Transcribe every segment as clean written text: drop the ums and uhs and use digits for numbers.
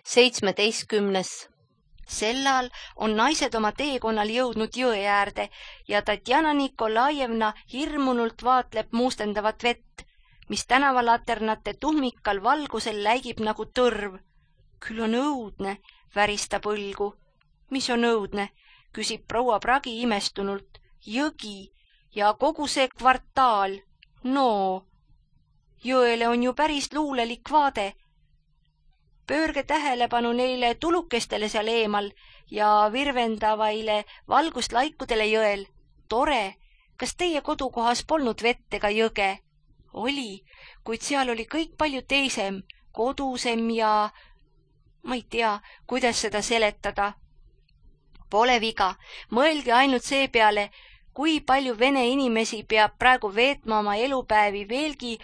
17. Sellal on naised oma teekonnal jõudnud jõe äärde ja Tatjana Nikolajevna hirmunult vaatleb muustendavat vett, mis tänavalaternate tuhmikal valgusel läigib nagu tõrv. Küll on õudne, väristab õlgu. Mis on õudne, küsib proua Pragi imestunult. Jõgi ja kogu see kvartaal. No, jõele on ju päris luulelik vaade. Pöörge tähelepanu neile tulukestele seal eemal ja virvendavaile valguslaikudele jõel. Tore, kas teie kodukohas polnud vett ega jõge? Oli, kuid seal oli kõik palju teisem, kodusem ja ma ei tea, kuidas seda seletada. Pole viga, mõelge ainult see peale, kui palju vene inimesi peab praegu veetma oma elupäevi veelgi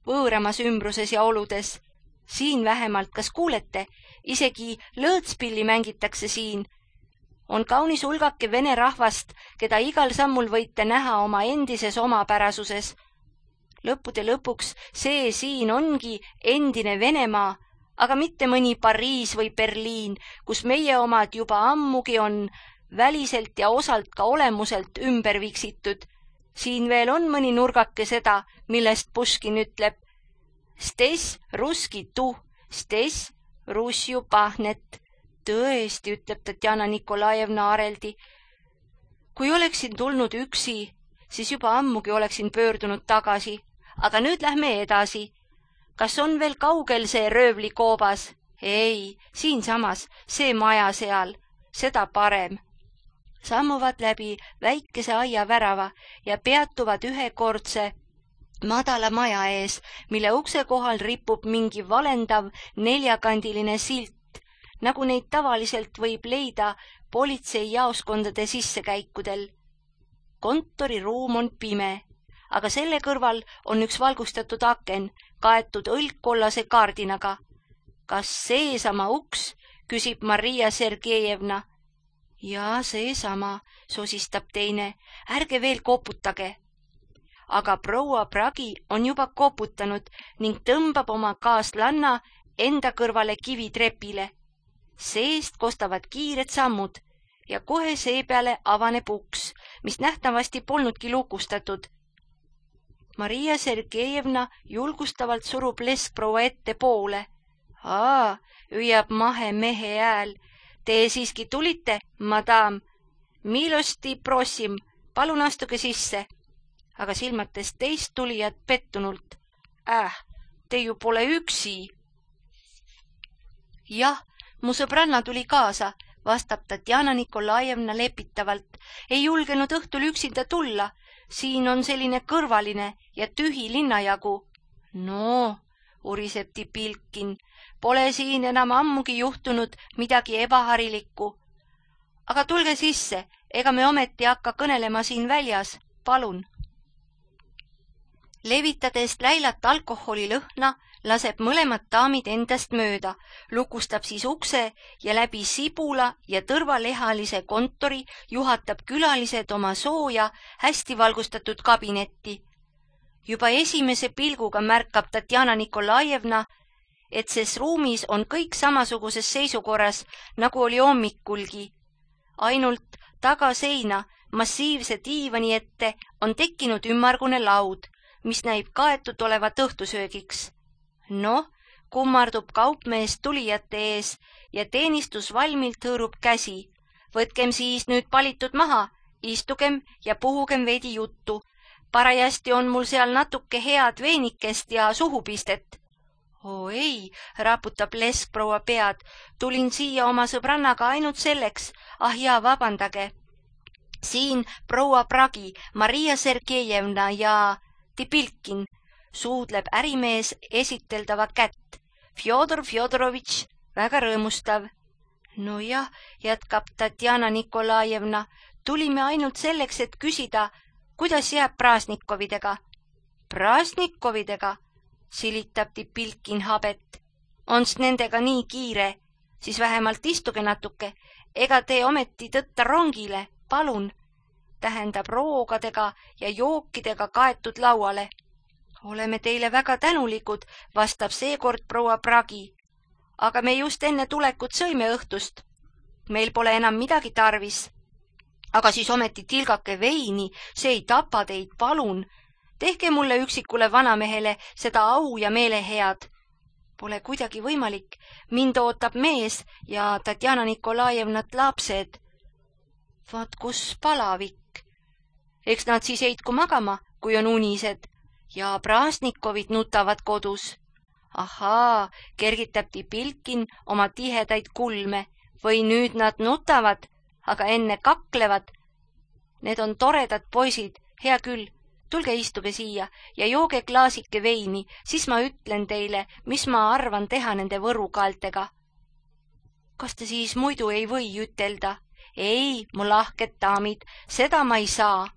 võõramas ümbruses ja oludes. Siin vähemalt, kas kuulete, isegi lõõtspilli mängitakse siin. On kaunis hulgake vene rahvast, keda igal sammul võite näha oma endises omapärasuses. Lõppude lõpuks see siin ongi endine Venemaa, aga mitte mõni Pariis või Berliin, kus meie omad juba ammugi on väliselt ja osalt ka olemuselt ümber viksitud. Siin veel on mõni nurgake seda, millest Puškin ütleb: Stes ruski tu, stes Russju pahnet. Tõesti, ütleb Tatjana Nikolajevna areldi. Kui oleksin tulnud üksi, siis juba ammugi oleksin pöördunud tagasi. Aga nüüd lähme edasi. Kas on veel kaugel see röövlikoobas? Ei, siinsamas, see maja seal, seda parem. Sammuvad läbi väikese aia värava ja peatuvad ühekordse madala maja ees, mille ukse kohal ripub mingi valendav neljakandiline silt, nagu neid tavaliselt võib leida politseijaoskondade sissekäikudel. Kontoriruum on pime, aga selle kõrval on üks valgustatud aken, kaetud õlgkollase kaardinaga. Kas seesama uks, küsib Maria Sergejevna. Jaa, seesama, sosistab teine, ärge veel koputage. Aga proua Pragi on juba koputanud ning tõmbab oma kaaslanna enda kõrvale kivitrepile. Seest kostavad kiired sammud ja kohe seepeale avaneb uks, mis nähtavasti polnudki lukustatud. Maria Sergejevna julgustavalt surub leskproua ette poole. Hüüab mahe mehe hääl. Te siiski tulite, madam. Milosti prosim, palun astuge sisse. Aga silmates teist tulijat pettunult. Te ju pole üksi. Jah, mu sõbranna tuli kaasa, vastab Tatjana Nikolajevna lepitavalt. Ei julgenud õhtul üksinda tulla. Siin on selline kõrvaline ja tühi linnajagu. No, uriseb Tipilkin, pole siin enam ammugi juhtunud midagi ebaharilikku. Aga tulge sisse, ega me ometi hakka kõnelema siin väljas, palun. Levitades läilat alkoholilõhna, laseb mõlemad daamid endast mööda, lukustab siis ukse ja läbi sibula ja tõrvalehalise kontori juhatab külalised oma sooja, hästi valgustatud kabinetti. Juba esimese pilguga märkab Tatjana Nikolajevna, et ses ruumis on kõik samasuguses seisukorras, nagu oli hommikulgi. Ainult taga seina massiivse diivani ette on tekkinud ümmargune laud, mis näib kaetud olevat õhtusöögiks. Kummardub kaupmees tulijate ees ja teenistus valmilt hõõrub käsi. Võtkem siis nüüd palitud maha, istugem ja puhugem veidi juttu. Parajasti on mul seal natuke head veinikest ja suhupistet. Ei, raputab leskproua pead. Tulin siia oma sõbrannaga ainult selleks. Jaa, vabandage. Siin proua Pragi, Maria Sergejevna ja Tipilkin, suudleb ärimees esiteldava kätt. Fjodor Fjodorovitš, väga rõõmustav. Nojah, jätkab Tatjana Nikolajevna, tulime ainult selleks, et küsida, kuidas jääb Praasnikovidega. Praasnikovidega, silitab Tipilkin habet. Ons nendega nii kiire, siis vähemalt istuge natuke, ega te ometi tõtta rongile, palun. Tähendab roogadega ja jookidega kaetud lauale. Oleme teile väga tänulikud, vastab seekord proua Pragi. aga me just enne tulekut sõime õhtust. Meil pole enam midagi tarvis. Aga siis ometi tilgake veini, see ei tapa teid, palun. Tehke mulle üksikule vanamehele seda au ja meelehead. Pole kuidagi võimalik. Mind ootab mees ja Tatjana Nikolajevnat lapsed. Vaat kus palavik. Eks nad siis heitku magama, kui on unised. Ja Praasnikovid nutavad kodus. Ahaa, kergitab Tipilkin oma tihedaid kulme. Või nüüd nad nutavad, aga enne kaklevad. Need on toredad poisid, hea küll. Tulge istuge siia ja jooge klaasike veini, siis ma ütlen teile, mis ma arvan teha nende võrukaeltega. Kas te siis muidu ei või ütelda? Ei, mu lahked daamid, seda ma ei saa.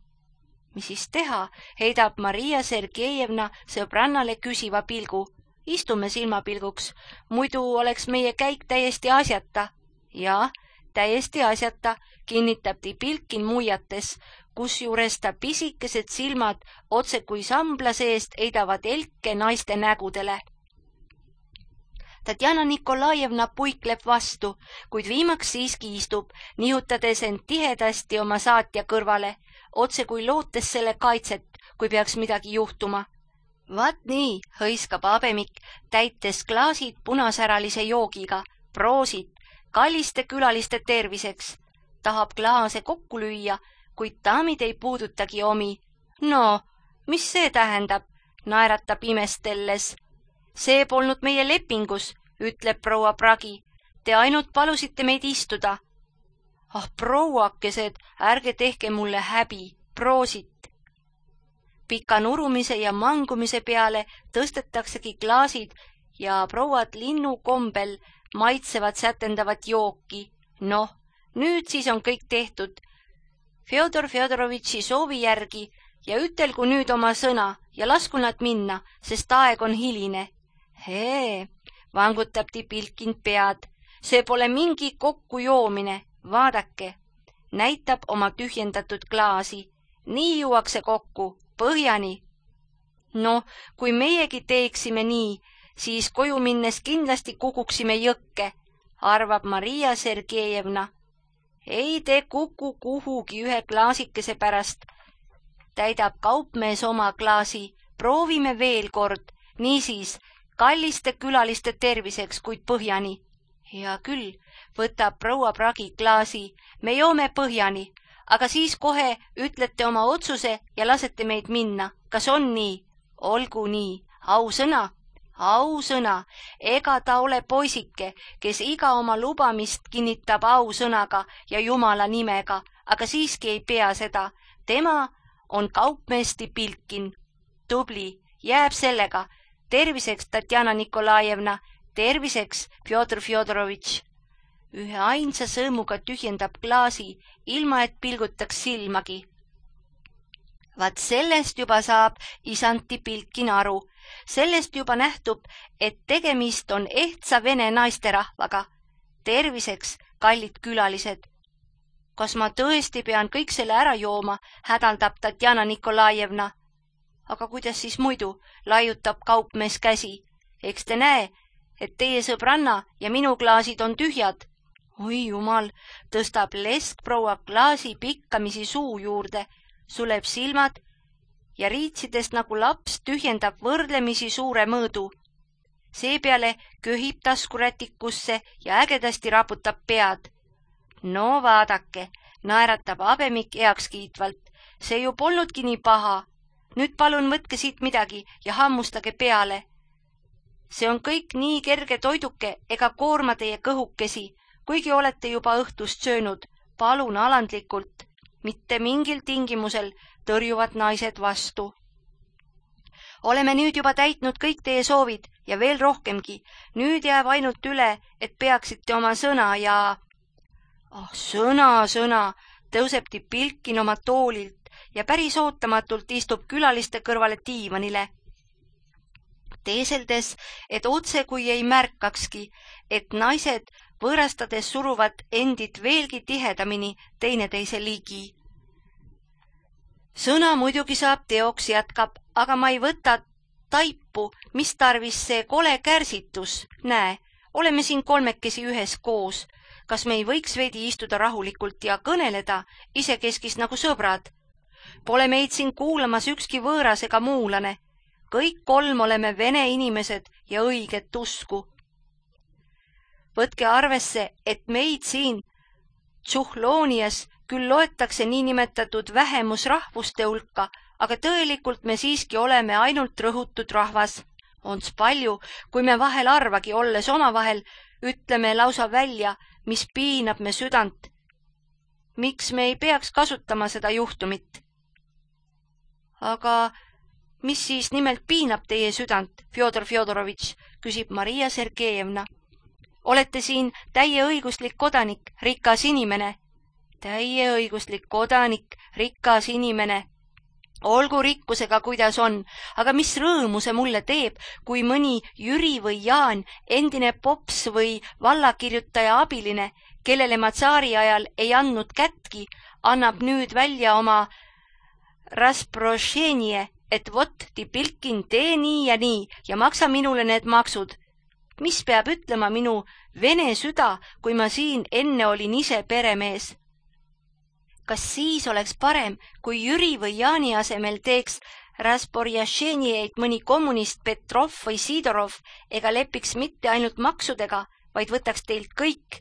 Mis siis teha, heidab Maria Sergejevna sõbrannale küsiva pilgu. Istume silmapilguks, muidu oleks meie käik täiesti asjata. Ja, täiesti asjata, kinnitab Tipilkin muiates, kusjuures ta pisikesed silmad otse kui sambla seest heidavad elke naiste nägudele. Tatjana Nikolajevna puikleb vastu, kuid viimaks siiski istub, nihutades end tihedasti oma saatja kõrvale, otse kui lootes selle kaitset, kui peaks midagi juhtuma. Vaat nii, hõiskab Abemik, täites klaasid punasäralise joogiga, proosit, kalliste külaliste terviseks. Tahab klaase kokku lüüa, kuid daamid ei puudutagi omi. No, mis see tähendab, naeratab imestelles. See polnud meie lepingus, ütleb proua Pragi. Te ainult palusite meid istuda. Ah, prouakesed, ärge tehke mulle häbi, proosit. Pika nurumise ja mangumise peale tõstetaksegi klaasid ja prouad linnu kombel maitsevad sätendavat jooki. Noh, nüüd siis on kõik tehtud. Fjodor Fjodorovitši soovi järgi ja ütelgu nüüd oma sõna ja lasku nad minna, sest aeg on hiline. Hee, vangutab Tipilkin pead. See pole mingi kokkujoomine, vaadake. Näitab oma tühjendatud klaasi. Nii juuakse kokku, põhjani. No, kui meiegi teeksime nii, siis koju minnes kindlasti kukuksime jõkke, arvab Maria Sergejevna. Ei te kuku kuhugi ühe klaasikese pärast. Täidab kaupmees oma klaasi, proovime veel kord, niisiis kalliste külaliste terviseks, kuid põhjani. Hea küll, võtab proua Pragi klaasi, me joome põhjani, aga siis kohe ütlete oma otsuse ja lasete meid minna. Kas on nii? Olgu nii, ausõna, ega ta ole poisike, kes iga oma lubamist kinnitab ausõnaga ja Jumala nimega, aga siiski ei pea seda. Tema on kaupmees Tipilkin. Tubli, jääb sellega. Terviseks, Tatjana Nikolajevna, terviseks, Fjodor Fjodorovitš. Ühe ainsa sõõmuga tühjendab klaasi, ilma et pilgutaks silmagi. Vaat sellest juba saab isand Tipilkin aru. Sellest juba nähtub, et tegemist on ehtsa vene naisterahvaga. Terviseks, kallid külalised. Kas ma tõesti pean kõik selle ära jooma, hädaldab Tatjana Nikolajevna. Aga kuidas siis muidu, laiutab kaupmees käsi. Eks te näe, et teie sõbranna ja minu klaasid on tühjad. Oi jumal, tõstab lesk proua klaasi pikkamisi suu juurde, suleb silmad ja riitsidest nagu laps tühjendab võrdlemisi suure mõõdu. Seepeale köhib taskurätikusse ja ägedasti raputab pead. No vaadake, naeratab Abemik heakskiitvalt. See ju polnudki nii paha. Nüüd palun võtke siit midagi ja hammustage peale. See on kõik nii kerge toiduke ega koorma teie kõhukesi, kuigi olete juba õhtust söönud. Palun alandlikult, mitte mingil tingimusel, tõrjuvad naised vastu. Oleme nüüd juba täitnud kõik teie soovid ja veel rohkemgi. Nüüd jääb ainult üle, et peaksite oma sõna ja... Sõna, tõuseb Tipilkin oma toolilt ja päris ootamatult istub külaliste kõrvale diivanile. Teeseldes, et otse kui ei märkakski, et naised võõrastades suruvad endid veelgi tihedamini teineteise ligi. Sõna muidugi saab teoks, jätkab, aga ma ei võta taipu, mis tarvis see kole kärsitus. Näe, oleme siin kolmekesi ühes koos. Kas me ei võiks veidi istuda rahulikult ja kõneleda isekeskis nagu sõbrad? Pole meid siin kuulamas ükski võõras ega muulane. Kõik kolm oleme vene inimesed ja õiget usku. Võtke arvesse, et meid siin Tšuhloonias küll loetakse niinimetatud vähemusrahvuste hulka, aga tõelikult me siiski oleme ainult rõhutud rahvas. Ons palju, kui me vahel arvagi, olles omavahel, ütleme lausa välja, mis piinab me südant. Miks me ei peaks kasutama seda juhtumit? Aga mis siis nimelt piinab teie südant, Fjodor Fjodorovitš, küsib Maria Sergejevna. Olete siin täieõiguslik kodanik, rikas inimene. Täieõiguslik kodanik, rikas inimene. Olgu rikkusega, kuidas on, aga mis rõõmu see mulle teeb, kui mõni Jüri või Jaan, endine pops või vallakirjutaja abiline, kellele ma tsaari ajal ei andnud kätki, annab nüüd välja oma rasprošenie, et vot, Tipilkin, tee nii ja maksa minule need maksud. Mis peab ütlema minu vene süda, kui ma siin enne olin ise peremees? Kas siis oleks parem, kui Jüri või Jaani asemel teeks rasporjašenieid mõni kommunist Petrov või Sidorov ega lepiks mitte ainult maksudega, vaid võtaks teilt kõik?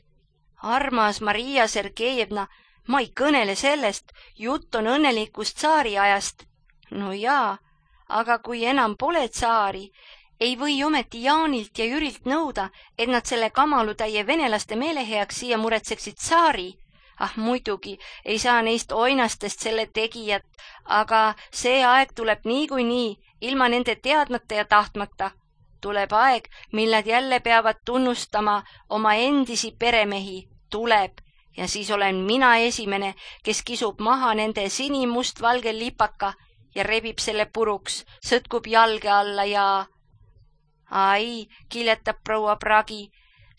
Armas Maria Sergejevna, ma ei kõnele sellest, jutt on õnnelikust tsaari ajast. No jaa, aga kui enam pole tsaari, ei või ometi Jaanilt ja Jürilt nõuda, et nad selle kamalutäie venelaste meeleheaks siia muretseksid tsaari. Ah, muidugi, ei saa neist oinastest selle tegijat, aga see aeg tuleb niikuinii, ilma nende teadmata ja tahtmata. Tuleb aeg, mil nad jälle peavad tunnustama oma endisi peremehi. Tuleb, ja siis olen mina esimene, kes kisub maha nende sinimustvalge lipaka ja rebib selle puruks, sõtkub jalge alla ja... Ai, kiletab proua Pragi,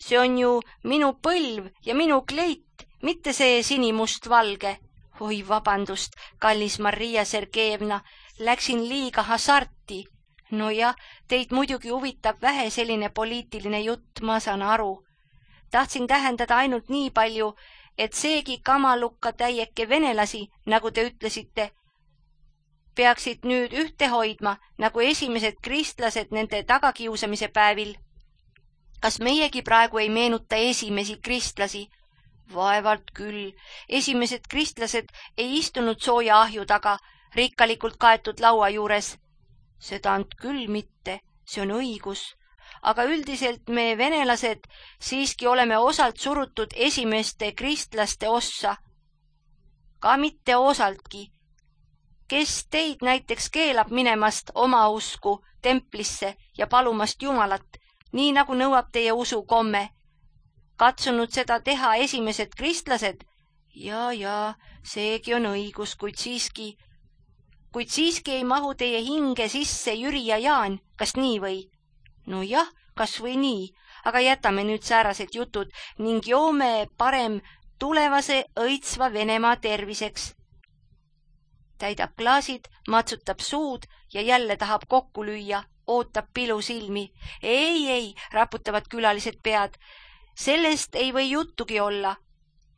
see on ju minu põlv ja minu kleit, mitte see sinimustvalge. Oi, vabandust, kallis Maria Sergejevna, läksin liiga hasarti. No jah, teid muidugi huvitab vähe selline poliitiline jutt, ma saan aru. Tahtsin tähendada ainult nii palju, et seegi kamalukka täieke venelasi, nagu te ütlesite, peaksid nüüd ühte hoidma, nagu esimesed kristlased nende tagakiusamise päevil. Kas meiegi praegu ei meenuta esimesi kristlasi? Vaevalt küll. Esimesed kristlased ei istunud sooja ahju taga, rikkalikult kaetud laua juures. Seda and küll mitte, see on õigus. Aga üldiselt me venelased siiski oleme osalt surutud esimeste kristlaste ossa. Ka mitte osaltki. Kes teid näiteks keelab minemast oma usku templisse ja palumast Jumalat, nii nagu nõuab teie usukomme? Katsunud seda teha esimesed kristlased? Ja, seegi on õigus, kuid siiski ei mahu teie hinge sisse Jüri ja Jaan, kas nii või? No jah, kas või nii, aga jätame nüüd säärased jutud ning joome parem tulevase õitsva Venemaa terviseks. Täidab klaasid, matsutab suud ja jälle tahab kokku lüüa, ootab pilu silmi. Ei, raputavad külalised pead. Sellest ei või juttugi olla.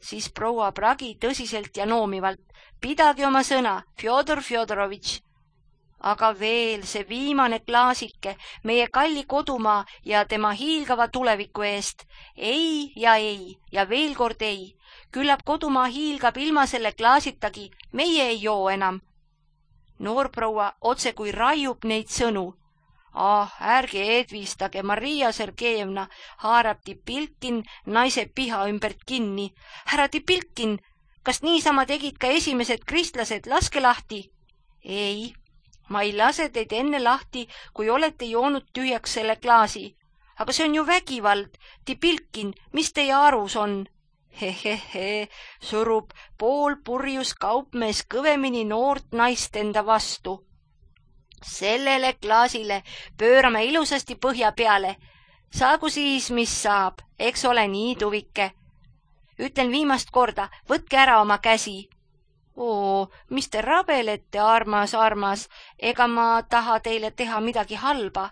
Siis proua Pragi tõsiselt ja noomivalt. Pidagi oma sõna, Fjodor Fjodorovitš. Aga veel see viimane klaasike meie kalli kodumaa ja tema hiilgava tuleviku eest. Ei ja veel kord ei. Küllap kodumaa hiilgab ilma selle klaasitagi, meie ei joo enam. Noorproua otse kui raiub neid sõnu. Ärge edvistage, Maria Sergejevna, haarab Tipilkin naise piha ümbert kinni. Härra Tipilkin, kas niisama tegid ka esimesed kristlased, laske lahti? Ei, ma ei lase teid enne lahti, kui olete joonud tühjaks selle klaasi. Aga see on ju vägivald. Tipilkin, mis teie arus on? Hehehe, surub poolpurjus kaupmees kõvemini noort naist enda vastu. Sellele klaasile pöörame ilusasti põhja peale. Saagu siis, mis saab, eks ole nii tuvike. Ütlen viimast korda, võtke ära oma käsi. Mis te rabelete, armas, ega ma taha teile teha midagi halba.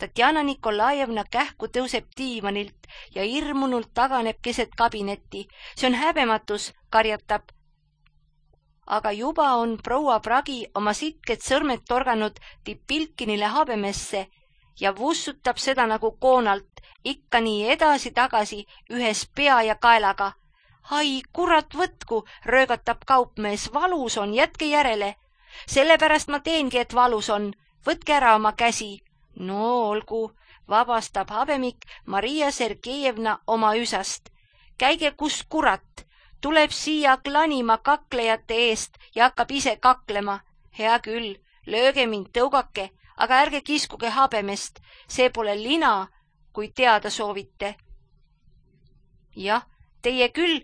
Tatjana Nikolajevna kähku tõuseb diivanilt ja hirmunult taganeb keset kabinetti. See on häbematus, karjatab. Aga juba on proua Pragi oma sitked sõrmed torganud Tipilkinile habemesse ja vussutab seda nagu koonalt, ikka nii edasi-tagasi ühes pea ja kaelaga. Ai, kurat võtku, röögatab kaupmees, valus on, jätke järele. Sellepärast ma teengi, et valus on. Võtke ära oma käsi. No olgu, vabastab habemik Maria Sergejevna oma üsast. Käige, kus kurat, tuleb siia klanima kaklejate eest ja hakkab ise kaklema. Hea küll, lööge mind, tõugake, aga ärge kiskuge habemest. See pole lina, kui teada soovite. Jah, teie küll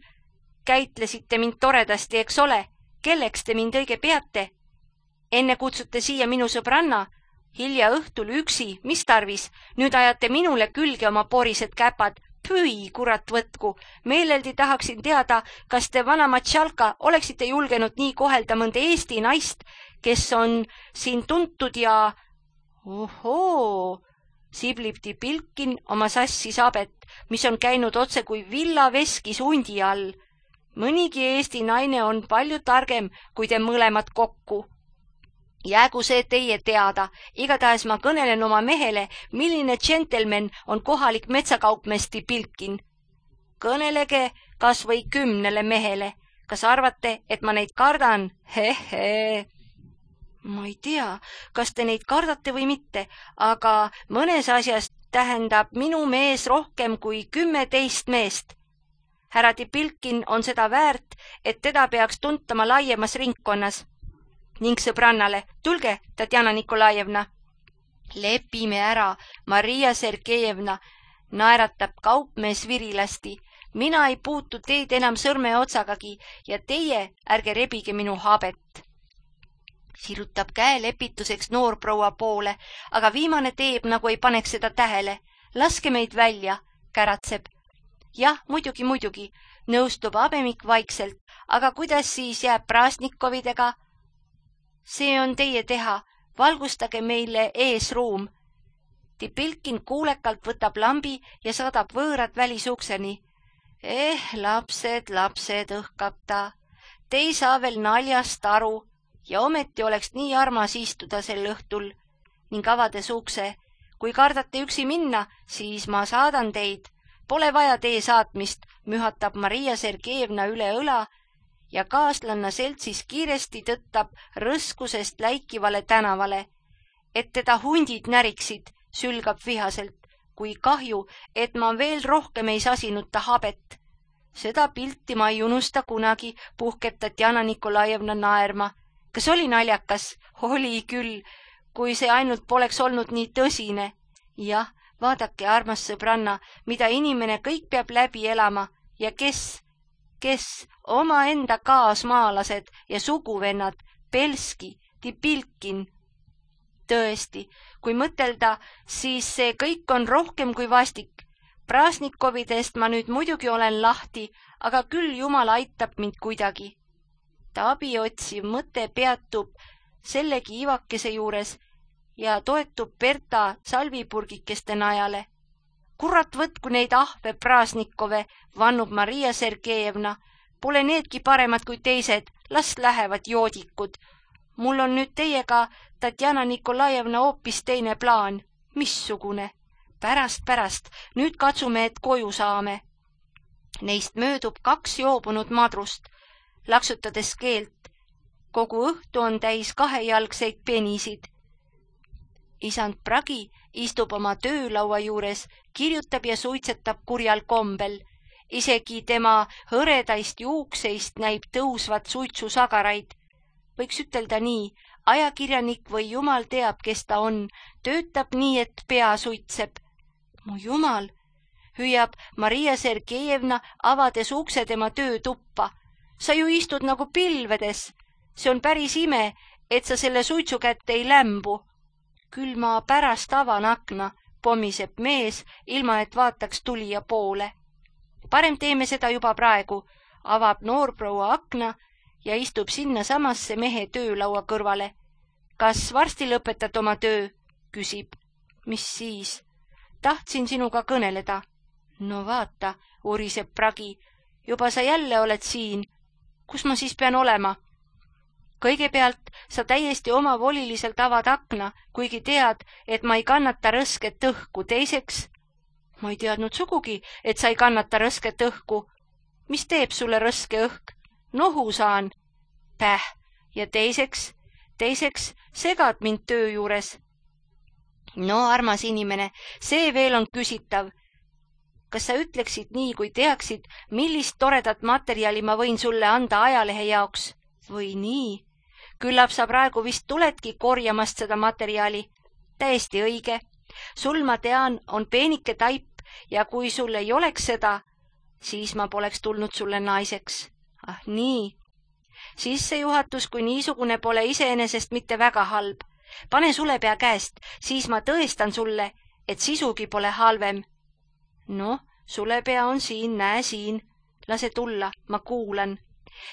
käitlesite mind toredasti, eks ole? Kelleks te mind õige peate? Enne kutsute siia minu sõbranna, hilja õhtul üksi, mis tarvis? Nüüd ajate minule külge oma porised käpad. Püi, kurat võtku. Meeleldi tahaksin teada, kas te vana Matšalka oleksite julgenud nii kohelda mõnda Eesti naist, kes on siin tuntud ja... Ohoo, siblib Tipilkin oma sassi sabet, mis on käinud otse kui villaveskis hundi all. Mõnigi Eesti naine on palju targem kui te mõlemad kokku. Jäägu see teie teada, igatahes ma kõnelen oma mehele, milline džentelmen on kohalik metsakaupmees Tipilkin. Kõnelege kas või 10 mehele. Kas arvate, et ma neid kardan? Hehe. Ma ei tea, kas te neid kardate või mitte, aga mõnes asjas tähendab minu mees rohkem kui 10 meest. Härra Tipilkin on seda väärt, et teda peaks tuntama laiemas ringkonnas. Ning sõbrannale, tulge, Tatjana Nikolajevna. Lepime ära, Maria Sergejevna, naeratab kaupmees virilasti. Mina ei puutu teid enam sõrme otsagagi ja teie ärge rebige minu habet. Sirutab käe lepituseks noorproua poole, aga viimane teeb, nagu ei paneks seda tähele. Laske meid välja, käratseb. Jah, muidugi, nõustub habemik vaikselt, aga kuidas siis jääb Prasnikovidega? See on teie teha, valgustage meile eesruum. Tipilkin kuulekalt võtab lambi ja saadab võõrad välisukseni. Lapsed, õhkab ta. Te ei saa veel naljast aru ja ometi oleks nii armas istuda sel õhtul ning avades ukse. Kui kardate üksi minna, siis ma saadan teid. Pole vaja tee saatmist, mühatab Maria Sergejevna üle õla ja kaaslanna seltsis kiiresti tõttab rõskusest läikivale tänavale. Et teda hundid näriksid, sülgab vihaselt, kui kahju, et ma veel rohkem ei sasinud ta habet. Seda pilti ma ei unusta kunagi, puhkeb Tatjana Nikolajevna naerma. Kas oli naljakas? Oli küll, kui see ainult poleks olnud nii tõsine. Jah, vaadake, armas sõbranna, mida inimene kõik peab läbi elama ja kes omaenda kaasmaalased ja suguvennad, Belski, Tipilkin. Tõesti, kui mõtelda, siis see kõik on rohkem kui vastik. Prasnikovidest ma nüüd muidugi olen lahti, aga küll Jumal aitab mind kuidagi. Ta abiotsiv mõte peatub sellegi ivakese juures ja toetub Berta salvipurgikeste najale. Kurat võtku neid ahve Prasnikove, vannub Maria Sergejevna. Pole needki paremad kui teised, las lähevad joodikud. Mul on nüüd teiega, Tatjana Nikolajevna, hoopis teine plaan. Missugune? Pärast, nüüd katsume, et koju saame. Neist möödub 2 joobunud madrust, laksutades keelt. Kogu õhtu on täis 2-jalgseid penisid. Isand Pragi istub oma töölaua juures, kirjutab ja suitsetab kurjal kombel. Isegi tema hõredaist juukseist näib tõusvat suitsusagaraid. Võiks ütelda nii, ajakirjanik või jumal teab, kes ta on, töötab nii, et pea suitseb. Mu jumal, hüüab Maria Sergejevna, avades ukse tema töötuppa. Sa ju istud nagu pilvedes. See on päris ime, et sa selle suitsu kätte ei lämbu. Küll ma pärast avan akna, pommiseb mees, ilma et vaataks tulija poole. Parem teeme seda juba praegu, avab noorproua akna ja istub sinna samasse mehe töölaua kõrvale. Kas varsti lõpetad oma töö? Küsib. Mis siis? Tahtsin sinuga kõneleda. No vaata, uriseb Pragi. Juba sa jälle oled siin. Kus ma siis pean olema? Kõigepealt sa täiesti omavoliliselt avad akna, kuigi tead, et ma ei kannata rõsket õhku. Teiseks, ma ei teadnud sugugi, et sa ei kannata rõsket õhku. Mis teeb sulle rõske õhk? Nohu saan. Päh. Ja teiseks segad mind töö juures. No, armas inimene, see veel on küsitav. Kas sa ütleksid nii, kui teaksid, millist toredat materjali ma võin sulle anda ajalehe jaoks? Või nii? Küllap sa praegu vist tuledki korjamast seda materjali. Täiesti õige. Sul, ma tean, on peenike taip ja kui sul ei oleks seda, siis ma poleks tulnud sulle naiseks. Ah, nii. Sissejuhatus kui niisugune pole iseenesest mitte väga halb. Pane sulepea käest, siis ma tõestan sulle, et sisugi pole halvem. No, sulepea on siin, näe siin. Lase tulla, ma kuulan.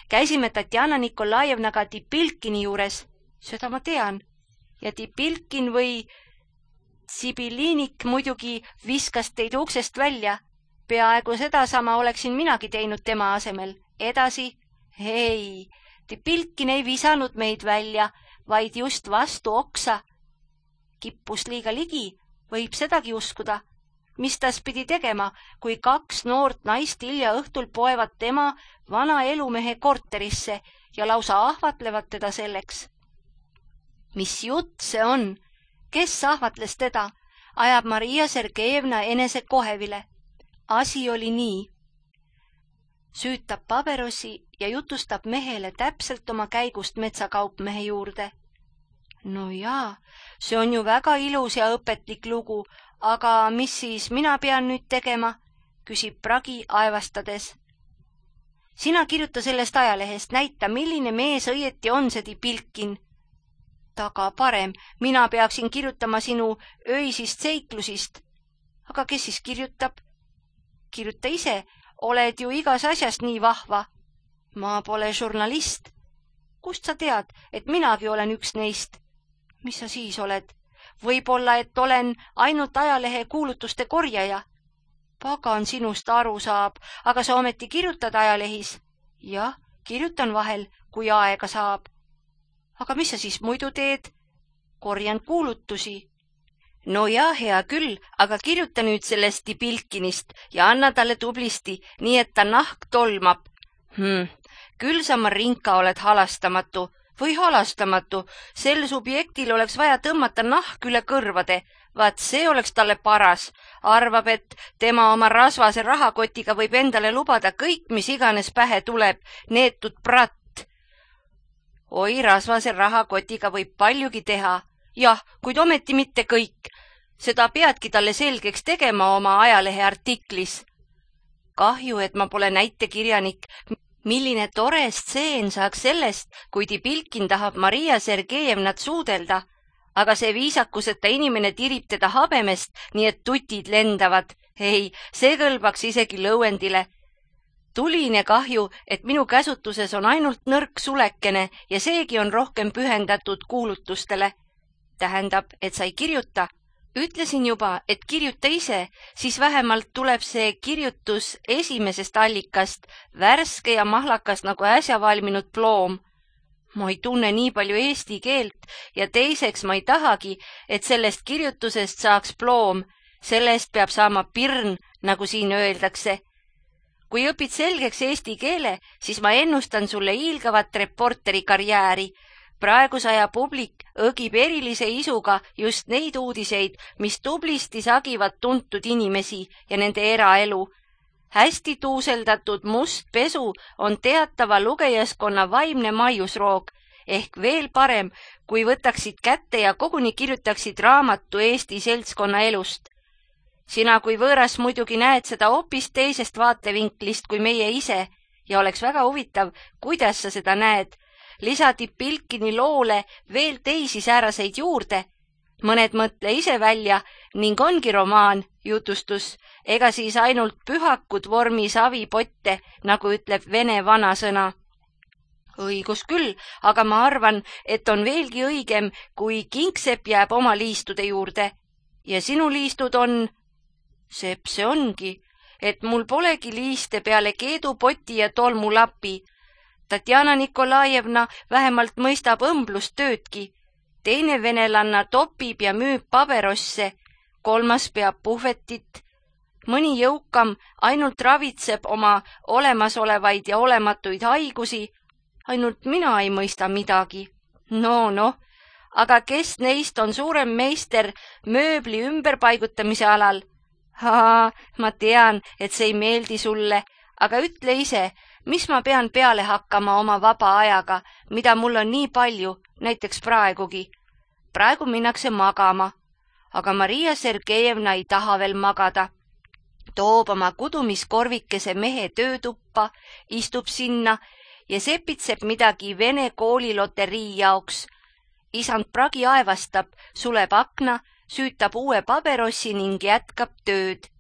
Käisime Tatjana Nikolajevnaga Tipilkini juures. Seda ma tean. Ja Tipilkin või Sibilinik muidugi viskas teid uksest välja. Peaaegu sedasama oleksin minagi teinud tema asemel. Edasi? Hei, Tipilkin ei visanud meid välja, vaid just vastu oksa. Kippus liiga ligi, võib sedagi uskuda. Mis tas pidi tegema, kui 2 noort naist hilja õhtul poevad tema vana elumehe korterisse ja lausa ahvatlevad teda selleks? Mis jutt see on? Kes ahvatles teda? Ajab Maria Sergejevna enese kohevile. Asi oli nii. Süütab paberosi ja jutustab mehele täpselt oma käigust metsakaupmehe juurde. No jaa, see on ju väga ilus ja õpetlik lugu, aga mis siis mina pean nüüd tegema? Küsib Pragi aevastades. Sina kirjuta sellest ajalehest, näita, milline mees õieti on see Tipilkin. Taga parem, mina peaksin kirjutama sinu öisist seiklusist. Aga kes siis kirjutab? Kirjuta ise, oled ju igas asjast nii vahva. Ma pole žurnalist. Kust sa tead, et minagi olen üks neist? Mis sa siis oled? Võib-olla, et olen ainult ajalehe kuulutuste korjaja. Pagan sinust aru saab, aga sa ometi kirjutad ajalehis. Jah, kirjutan vahel, kui aega saab. Aga mis sa siis muidu teed? Korjan kuulutusi. No jaa, hea küll, aga kirjuta nüüd sellest Tipilkinist ja anna talle tublisti, nii et ta nahk tolmab. Küll sa, Marinka, oled halastamatu. Või halastamatu, sel subjektil oleks vaja tõmmata nahk üle kõrvade. Vaat see oleks talle paras. Arvab, et tema oma rasvase rahakotiga võib endale lubada kõik, mis iganes pähe tuleb, neetud pratt. Oi, rasvase rahakotiga võib paljugi teha. Jah, kuid ometi mitte kõik. Seda peadki talle selgeks tegema oma ajalehe artiklis. Kahju, et ma pole näitekirjanik. Milline tore stseen saaks sellest, kui Tipilkin tahab Maria Sergejevnat suudelda, aga see viisakuseta inimene tirib teda habemest, nii et tutid lendavad. Ei, see kõlbaks isegi lõuendile. Tuline kahju, et minu käsutuses on ainult nõrk sulekene ja seegi on rohkem pühendatud kuulutustele. Tähendab, et sa ei kirjuta. Ütlesin juba, et kirjuta ise, siis vähemalt tuleb see kirjutus esimesest allikast, värske ja mahlakas nagu äsja valminud ploom. Ma ei tunne nii palju eesti keelt ja teiseks ma ei tahagi, et sellest kirjutusest saaks ploom. Sellest peab saama pirn, nagu siin öeldakse. Kui õpid selgeks eesti keele, siis ma ennustan sulle hiilgavat reporteri karjääri. Praeguse aja publik õgib erilise isuga just neid uudiseid, mis tublisti sagivad tuntud inimesi ja nende eraelu. Hästi tuuseldatud must pesu on teatava lugejaskonna vaimne maiusroog, ehk veel parem, kui võtaksid kätte ja koguni kirjutaksid raamatu Eesti seltskonna elust. Sina kui võõras muidugi näed seda hoopis teisest vaatevinklist kui meie ise ja oleks väga huvitav, kuidas sa seda näed. Lisa Tipilkini loole veel teisi sääraseid juurde. Mõned mõtle ise välja ning ongi romaan, jutustus, ega siis ainult pühakud vormis avipotte, nagu ütleb vene vanasõna. Õigus küll, aga ma arvan, et on veelgi õigem, kui kingsepp jääb oma liistude juurde. ja sinu liistud on? Sepp, see ongi, et mul polegi liiste peale keedupoti ja tolmulapi. Tatjana Nikolajevna vähemalt mõistab õmblustöödki. Teine venelanna topib ja müüb paberosse, kolmas peab puhvetit. Mõni jõukam ainult ravitseb oma olemasolevaid ja olematuid haigusi, ainult mina ei mõista midagi. No, aga kes neist on suurem meister mööbli ümberpaigutamise alal? Ma tean, et see ei meeldi sulle, aga ütle ise, mis ma pean peale hakkama oma vaba ajaga, mida mul on nii palju, näiteks praegugi. Praegu minnakse magama, aga Maria Sergejevna ei taha veel magada. Toob oma kudumiskorvikese mehe töötuppa, istub sinna ja sepitseb midagi vene kooliloterii jaoks. Isand pragi aevastab, suleb akna, süütab uue paberossi ning jätkab tööd.